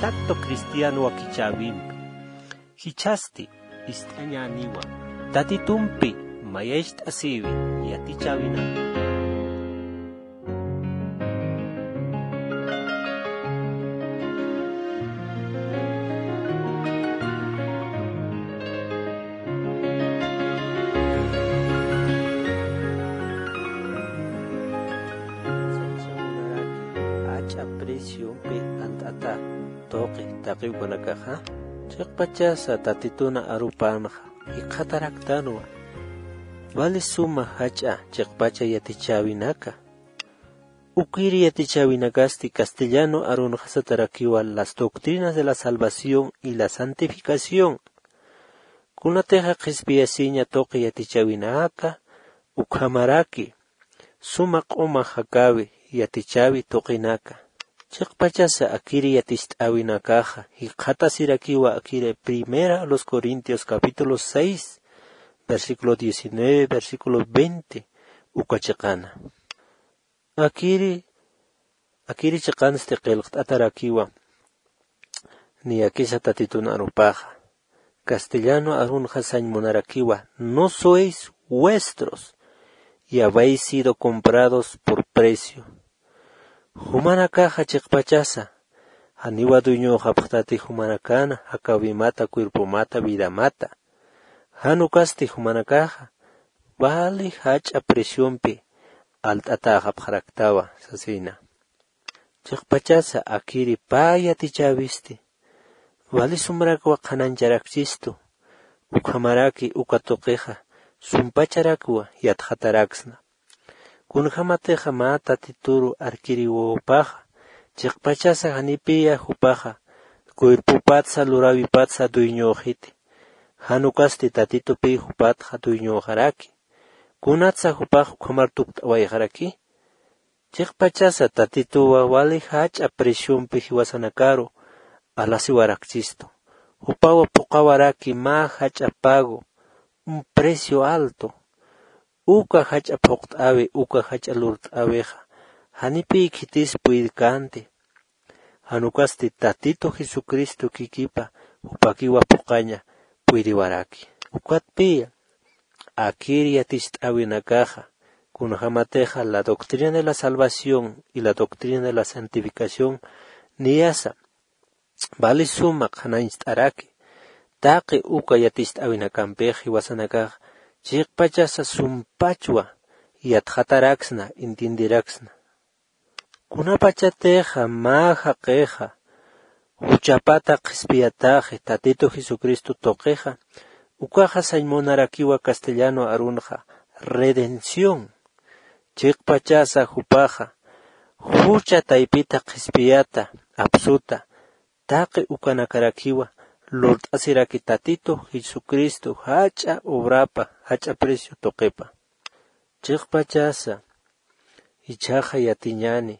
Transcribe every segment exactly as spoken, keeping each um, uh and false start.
Contacto cristiano wakichäwimpi. Jichhasti ist'añäniwa Tatitumpi mayacht'asïwi yatichäwinaka. Jach'a preciompi alt'ata tuqi taqi ukanakaxa, chiqpachasa Tatituna arupanxa jikxataraktanwa. Wali suma jach'a chiqpacha yatichäwinaka. Ukiri yatichäwinakasti castellano arunxa satarakiwa las doctrinas de la salvación y la santificación. Kunatixa qhispiyasiña tuqi yatichäwinaka, ukhamaraki suma q'uma jakäwi yatichäwi tuqinaka. Chiqpachasa akiri yaticht'äwinakaxa jikxatasirakiwa akiri Primera a los Corintios capítulo seis, versículo diecinueve, versículo veinte, uka chiqana. Akiri, akiri chiqansti qillqt'atarakiwa, niyakisa Tatitun arupaxa. Castellano arunxa sañ munarakiwa, no sois vuestros, y habéis sido comprados por precio. Jumanakaxa chiqpachasa, janiwa dueñoxapxtati jumanakana, jakäwimata, cuerpomata, vidamata. Jan ukasti jumanakaxa, wali jach'a preciompi alt'atäxapxaraktawa, sasina. Chiqpachasa akiri pä yatichäwisti, wali sumrakwa qhanañcharakchistu, ukhamaraki uka tuqixa sumpacharakwa yatxataraksna. Kunjämatixa mä Tatituru arkiriwawpaxa, chiqpachasa janipiya jupaxa cuerpopatsa luräwipatsa dueñöxiti. Jan ukasti Tatitupi jupatxa dueñöxaraki. Kunatsa jupax ukhamar tukt'awayxaraki. Chiqpachasa Tatituwa wali jach'a preciompi jiwasanakaru alasiwarakchistu. Jupawa phuqhawaraki mä jach'a pago, un precio alto. Uka jach'a phuqt'äwi, uka jach'a lurt'äwixa, janipï khitis puydkänti. Jan ukasti Tatitu Jesucristo kikipa jupakiwa phuqhaña puyriwaraki. Ukatpï akir yaticht'äwinakaxa, kunjämatixa la doctrina de la salvación y la doctrina de la santificación niyasa, wali suma qhanañcht'araki. Taqi uka yaticht'äwinakampix jiwasanakax chiqpachasa sumpachwa yatxataraksna, entienderaksna. Kunapachatixa mä jaqixa juchapata qhispiyataxi Tatitu Jesucristo tuqixa, ukaxa sañ munarakiwa castellano arunxa redención. Chiqpachasa jupaxa jucha taypita qhispiyata apsuta, taqi ukanakarakiwa lurt'asiraki Tatitu Jesucristo jach'a obrapa, jach'a precio tuqipa. Chiqpachasa jichhaxa yatiñäni,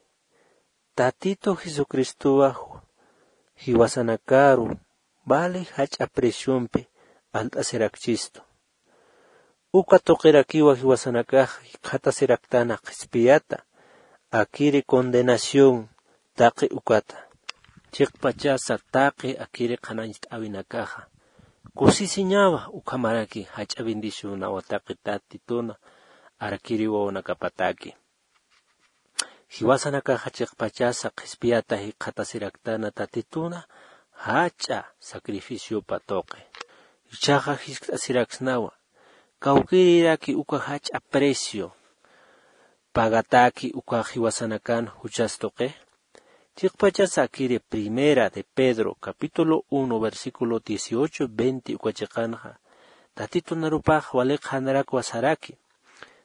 Tatitu Jesucristowa jiwasanakaru wali jach'a preciompi alt'asirakchistu. Uka tuqirakiwa jiwasanakax jikxatasiraktana qhispiyata, akiri condenación taqi ukata. Chiqpachasa taqi akiri qhanañcht'äwinakaxa kusisiñawa, ukhamaraki jach'a bendicionawa taqi Tatituna arkiri wawanakapataki. Jiwasanakaxa chiqpachasa qhispiyata jikxatasiraktana Tatituna jach'a sacrificiopa tuqi. Jichhaxa jiskt'asiraksnawa, kawkïriraki uka jach'a precio pagataki uka jiwasanakan juchas tuqi. Chiqpachasa akiri Primera de Pedro, capítulo uno, versículo dieciocho, veinte uka chiqanxa, Tatitunarupax waliqxanarakwa saraki: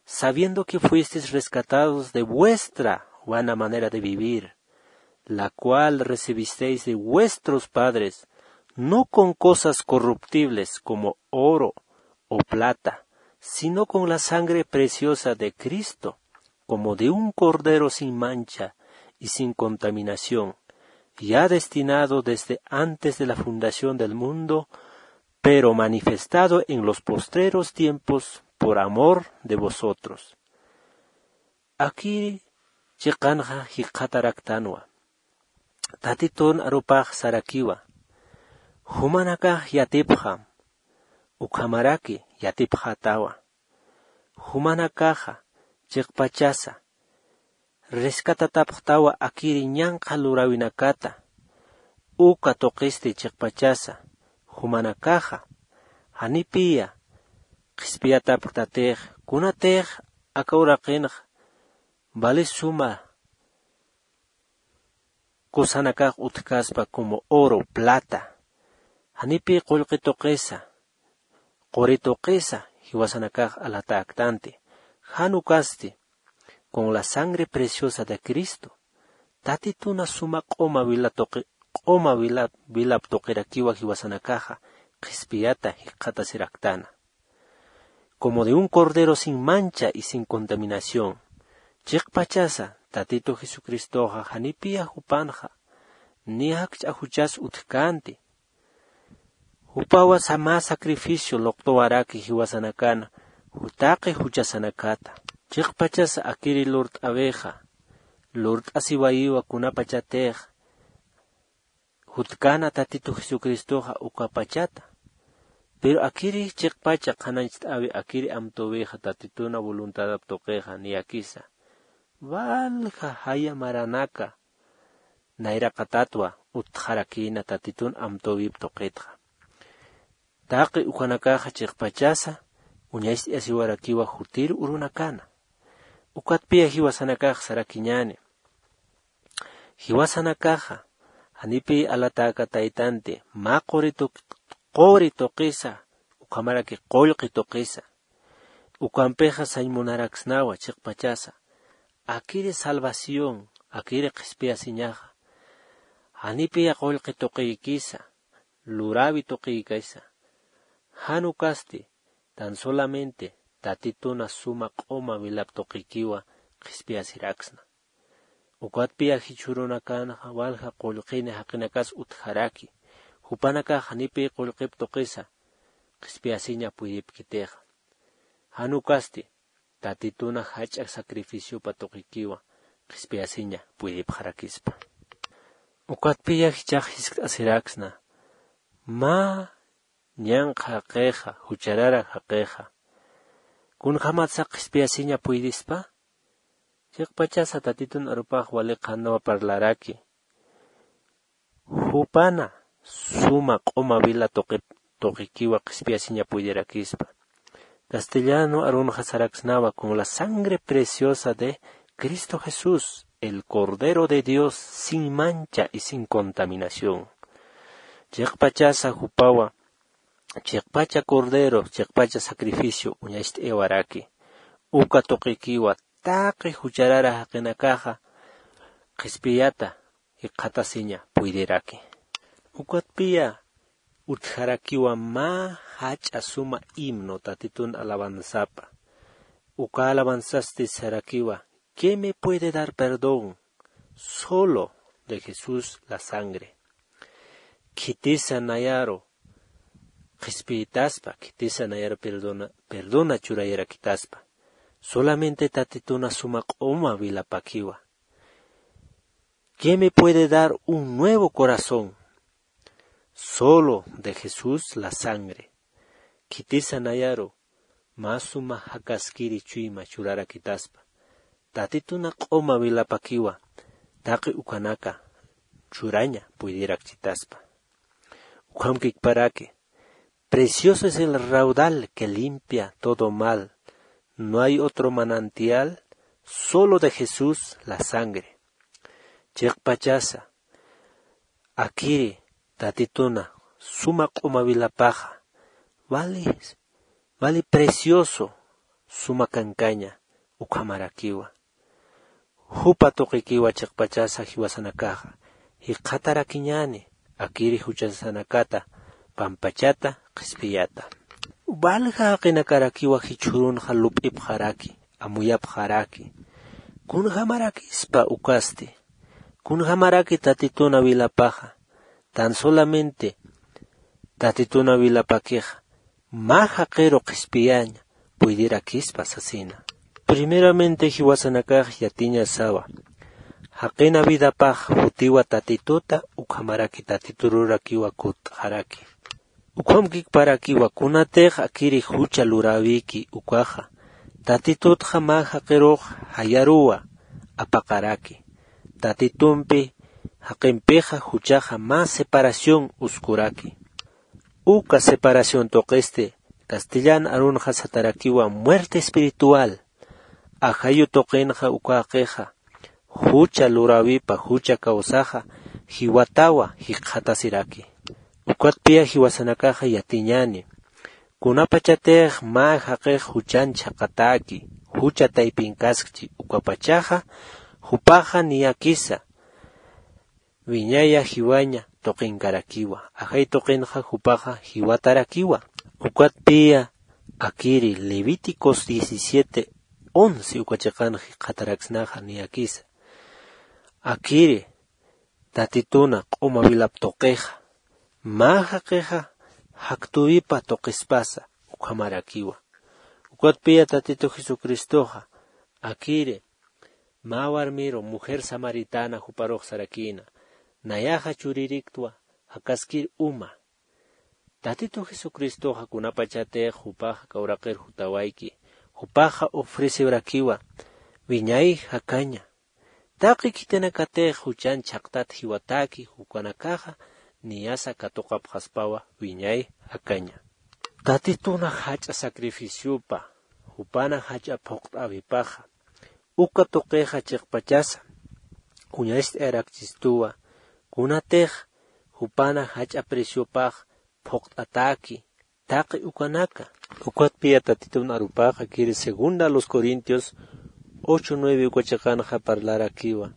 "Sabiendo que fuisteis rescatados de vuestra vana manera de vivir, la cual recibisteis de vuestros padres, no con cosas corruptibles como oro o plata, sino con la sangre preciosa de Cristo, como de un cordero sin mancha y sin contaminación, ya destinado desde antes de la fundación del mundo, pero manifestado en los postreros tiempos por amor de vosotros". Akiri chiqanxa jikxataraktanwa. Tatitun arupax sarakiwa: Jumanakax yatipxam, ukhamaraki yatipxätawa. Jumanakaxa chiqpachasa rescatatapxtawa akiri ñanqha luräwinakata. Uka tuqisti chiqpachasa jumanakaxa janipiya qhispiyatapktatix, kunatix aka uraqinxa vali suma cosanakax utjkaspa como oro, plata, janipi qullqi tuqisa, quri tuqisa jiwasanakax alatäktanti. Jan ukasti con la sangre preciosa de Cristo, Tatituna suma q'uma wila tuqi, q'uma wila, wilap tuqirakiwa jiwasanakaxa qhispiyata jikxatasiraktäna. Como de un cordero sin mancha y sin contaminación. Chiqpachasa Tatitu Jesucristoxa janipiya jupanxa ni jakch'a juchas utjkänti. Jupawa mä sacrificio luqtuwaraki jiwasanakana taqi juchasanakata. Chiqpachasa akiri lurt'äwixa, lurt'asiwayiwa kunapachatix jutkäna Tatitu Jesucristoxa ukapachata. Pero akiri chiqpacha qhanañcht'äwi akiri amtüwixa Tatituna voluntadap tuqixa niyakisa, walja jaya maranaka nayraqatatwa utjarakïna Tatitun amtüwip tuqitxa. Taqi ukanakaxa chiqpachasa uñacht'ayasiwarakiwa jutir urunakana. Ukatpiya jiwasanakax sarakiñäni. Jiwasanakaxa janipi alatäka taytanti mä quri tuq, quri tuqisa, ukhamaraki qullqi tuqisa. Ukampixa sañ munaraksnawa chiqpachasa akiri salvación, akiri qhispiyasiñaxa janipiya qullqi tuqiykisa, luräwi tuqiykisa. Jan ukasti tan solamente Tatituna suma q'uma wilap tuqikiwa qhispiyasiraksna. Ukatpiya jichhürunakanxa walja qullqini jaqinakas utjaraki, jupanakax janipi qullqip tuqisa qhispiyasiña puydipkitixa. Jan ukasti Tatituna jach'a sacrificiopa tuqikiwa qhispiyasiña puydipxarakispa. Ukatpiya jichhax jiskt'asiraksna, mä ñanqha jaqixa, jucharara jaqixa, kunjamatsa qhispiyasiña puydispa? Chiqpachasa Tatitun arupax wali qhanwa parlaraki. Jupana suma q'uma wila tuqi, tuqikiwa qhispiyasiña puydirakispa. Castellano arunxa saraksnawa con la sangre preciosa de Cristo Jesús, el Cordero de Dios sin mancha y sin contaminación. Chiqpachasa jupawa, chiqpacha cordero, chiqpacha sacrificio uñacht'aywaraki. Uka tuqikiwa taqi jucharara jaqinakaxa qhispiyata jikxatasiña puydiraki. Ukatpiya utjarakiwa mä jach'a suma himno Tatitun alabanzapa. Uka alabanzasti sarakiwa: ¿Qué me puede dar perdón? Solo de Jesús la sangre. Khitisa nayaru qhispiyitaspa, khitisa nayaru perdona, perdona churayarakitaspa. Solamente Tatituna suma q'uma wilapakiwa. ¿Qué me puede dar un nuevo corazón? Solo de Jesús la sangre. Khitisa nayaru mä suma jakaskiri chuyma churarakitaspa. Tatituna q'uma wilapakiwa taqi ukanaka churaña puydirakchitaspa. Ukham kikparaki: Precioso es el raudal que limpia todo mal. No hay otro manantial, solo de Jesús la sangre. Chiqpachasa akiri Tatituna suma q'uma wilapaxa wali, wali precioso suma kankaña ukhamarakiwa. Jupa tuqikiwa chiqpachasa jiwasanakaxa jikxatarakiñäni akiri juchasanakata pampachata qhispiyata. Walja jaqinakarakiwa jichhürunxa lup'ipxaraki, amuyapxaraki. Kunjamarakispa ukasti, kunjamaraki Tatituna wilapaxa, tan solamente Tatituna wilapakixa mä jaqiru qhispiyaña puydirakispa sasina. Primeramente jiwasanakax yatiñasawa Jaqina vidapax jutiwa Tatituta, ukhamaraki Tatitururakiwa kutt'xaraki. Ukham kikparakiwa kunatix akiri jucha luräwiki ukaxa, Tatitutxa mä jaqirux jayaruwa apaqaraki. Tatitumpi jaqimpixa juchaxa mä separación uskuraki. Uka separación tuqisti castellan arunxa satarakiwa muerte espiritual. Ajayu tuqinxa uka jaqixa jucha luräwipa jucha kawsaxa jiwatawa jikxatasiraki. Ukatpiya jiwasanakaxa yatiñäni, kunapachatix mä jaqix juchan chhaqatäki, jucha taypinkaskchi ukapachaxa, jupaxa niyakisa wiñaya jiwaña tuqinkarakiwa, ajay tuqinxa jupaxa jiwatarakiwa. Ukatpiya akiri Levíticos diecisiete once uka chiqan jikxataraksnaxa niyakisa. Akiri Tatituna q'uma wilap tuqixa, mä jaqixa jaktuwipa tuqispasa ukhamarakiwa. Ukatpiya Tatitu Jesucristoxa akiri mä warmiru mujer samaritana juparux sarakïna, nayaxa chuririktwa jakaskir uma. Tatitu Jesucristoxa kunapachatix jupaxa aka uraqir jutawayki, jupaxa ofrecewarakiwa wiñay jakaña. Taqi khitinakatix juchan chhaqtat jiwatäki, ukanakaxa niyasa katuqapxaspawa wiñay jakaña. Tatituna jach'a sacrificiopa jupana jach'a phuqt'äwipaxa, uka tuqixa chiqpachasa uñacht'ayarakchistuwa, kunatix jupana jach'a preciopax phuqt'atäki taqi ukanaka. Ukatpiya Tatitun arupaxa kiri segunda a los Corintios ocho nueve uka chiqanxa parlarakiwa.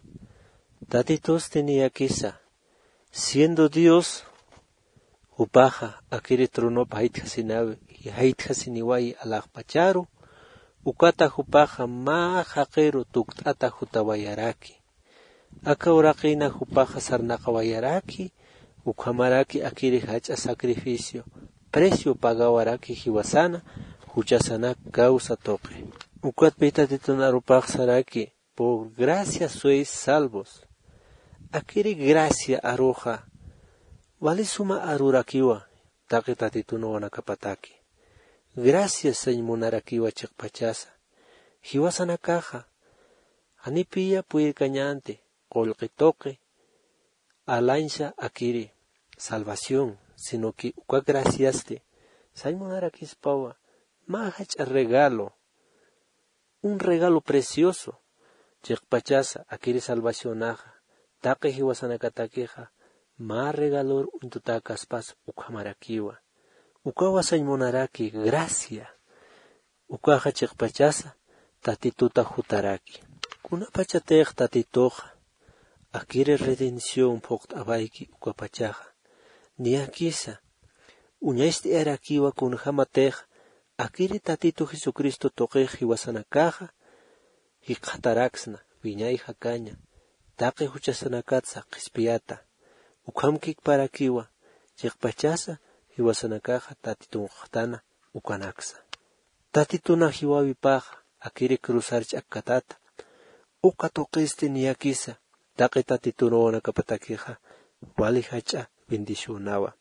Tatitusti niyakisa, siendo Dios, jupaxa akiri tronop jaytjasinawi, jaytjasiniwayi alaxpacharu, ukata jupaxa mä jaqiru tukt'ata jutawayaraki. Aka uraqina jupaxa sarnaqawayaraki, ukhamaraki akiri jach'a sacrificio, precio pagawaraki jiwasana, juchasanak causa tuqi. Ukatpi Tatitun arupax saraki, por gracia sois salvos. Akiri gracia aruxa, wali suma arurakiwa, taqi Tatitun wawanakapataki. Gracias sañ munarakiwa chiqpachasa. Jiwasanakaxa, janipiya puyirkañänti, qullqi tuqi, alañsa akiri, salvación, sino que uka graciasti, sañ munarakispawa, mä jach'a regalo, un regalo precioso, chiqpachasa akiri salvacionaxa, taqi jiwasanakatakixa, mä regalor uñtutäkaspas ukhamarakiwa. Ukawa sañ munaraki, gracia. Ukaxa chiqpachasa Tatituta jutaraki. Kunapachatix Tatituxa akiri redención phuqt'awayki ukapachaxa, niyakisa uñacht'ayarakiwa kunjämatix akiri Tatitu Jesucristo tuqix jiwasanakaxa jikxataraksna, wiñay jakaña, taqi juchasanakatsa qhispiyata. Ukham kikparakiwa chiqpachasa jiwasanakaxa Tatitun q'uxtana ukanaksa. Tatituna jiwawipaxa akiri cruzar ch'akkatata, uka tuqisti niyakisa taqi Tatitun wawanakapatakixa wali jach'a bendicionawa.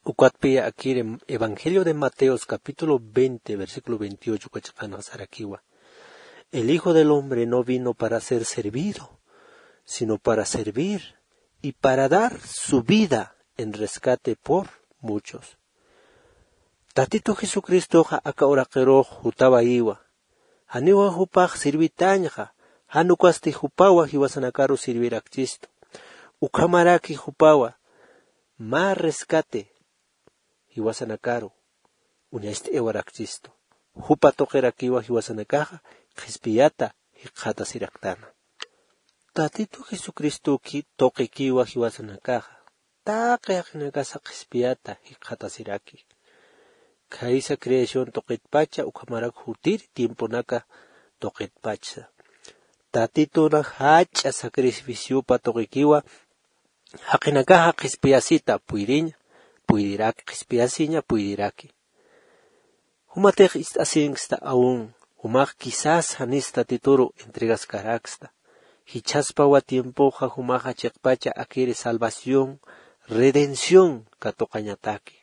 Ukatpiya akiri Evangelio de Mateos capítulo veinte, versículo veintiocho uka chiqanxa sarakiwa: El Hijo del Hombre no vino para ser servido, sino para servir y para dar su vida en rescate por muchos. Tatitu Jesucristoxa aka uraqirux jutawayiwa. Janiwa jupax sirvitañxa, jan ukasti jupawa jiwasanakaru sirvirakchistu. Ukhamaraki jupawa mä rescate jiwasanakaru uñacht'ayawarakchistu. Jupa tuqirakiwa jiwasanakaxa qhispiyata jikxatasiraktana. Tatitu Jesucristoki tuqikiwa jiwasanakaxa taqi jaqinakasa qhispiyata jikxatasiraki. Khaysa creación tuqitpacha ukhamarak jutir tiemponaka tuqitpachsa. Tatituna jach'a sacrificiopa tuqikiwa jaqinakaxa qhispiyasita puyriña, puyriraki, qhispiyasiña puyriraki. Jumatix ist'asinksta aún, jumax quizás janis Tatituru entregaskaraksta. Jichhaspawa tiempoxa jumaxa chiqpacha akiri salvación, redención katuqañataki.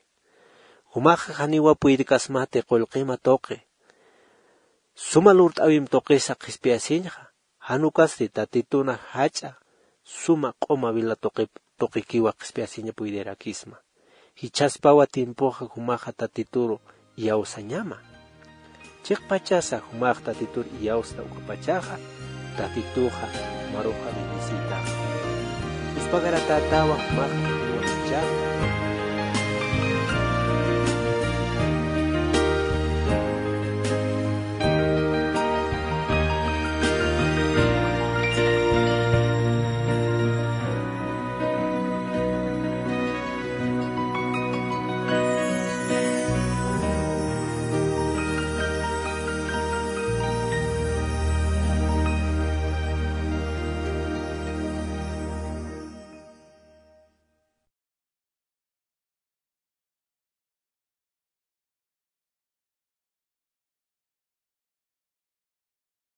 Jumaxa janiwa puydkasmati qullqima tuqi, suma lurt'äwim tuqisa qhispiyasiñxa. Jan ukasti tatituna jach'a suma q'uma vela tuqikiwa qhispiyasiña puydirakisma. Jichhaspawa tiempoxa jumaxa tatituru iyawsañama. Chiqpachasa jumax tatitur iyawsta ukapachaxa, tatituxa maruxa bendecita. Uspagaratätawa jumax tatiwa ichaxa.